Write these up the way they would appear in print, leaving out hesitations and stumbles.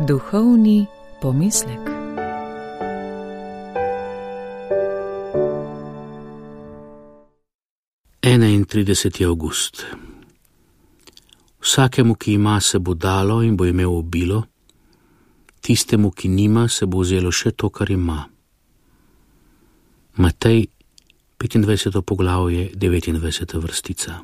Duhovni pomislek. Enaintrideseti avgust. Vsakemu, ki ima, se bo dalo in bo imel obilo, tistemu, ki nima, se bo vzelo še to, kar ima. Matej, 25. poglavje, 29. vrstica.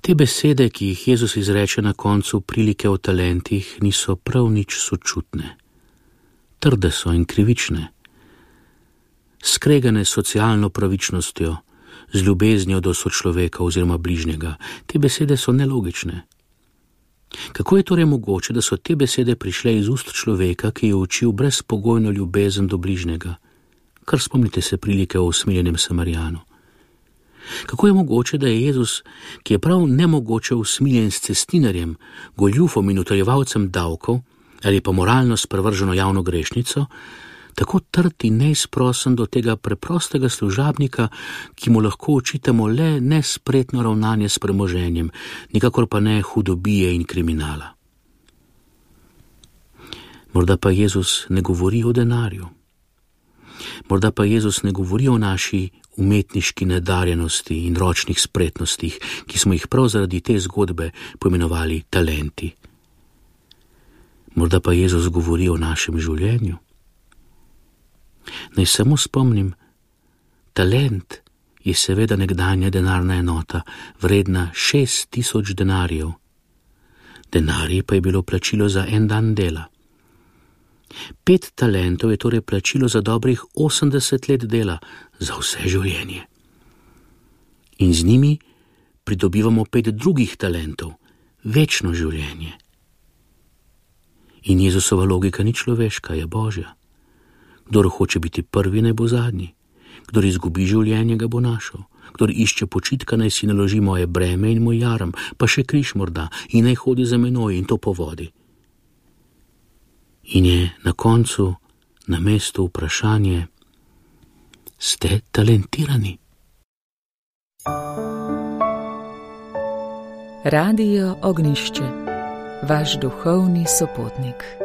Te besede, ki jih Jezus izreče na koncu prilike o talentih, niso prav nič sočutne. Trde so in krivične. Skregane s socialno pravičnostjo, z ljubeznijo do sočloveka oziroma bližnjega. Te besede so nelogične. Kako je torej mogoče, da so te besede prišle iz ust človeka, ki je učil brezpogojno ljubezen do bližnjega? Kar spomnite se prilike o usmiljenem Samarijanu. Kako je mogoče, da je Jezus, ki je prav nemogoče usmiljen s cestninarjem, goljufom in utaljevalcem davkov ali pa moralno sprevrženo javno grešnico, tako trd in neizprosen do tega preprostega služabnika, ki mu lahko očitamo le nespretno ravnanje s premoženjem, nikakor pa ne hudobije in kriminala. Morda pa Jezus ne govori o denarju. Morda pa Jezus ne govori o naši umetniški nadarjenosti in ročnih spretnostih, ki smo jih prav zaradi te zgodbe poimenovali talenti. Morda pa Jezus govori o našem življenju. Naj samo spomnim, talent je seveda nekdanja denarna enota, vredna 6000 denarjev. Denarji pa je bilo plačilo za en dan dela. 5 talentov je torej plačilo za dobrih 80 let dela, za vse življenje. In z njimi pridobivamo 5 drugih talentov, večno življenje. In Jezusova logika ni človeška, je Božja. Kdor hoče biti prvi, naj bo zadnji. Kdor izgubi življenje, ga bo našel. Kdor išče počitka, naj si naloži moje breme in moj jaram, pa še križ morda, in naj hodi za menoj, in to po vodi. In je na koncu na mestu vprašanje: ste talentirani? Radio Ognjišče, vaš duhovni sopotnik.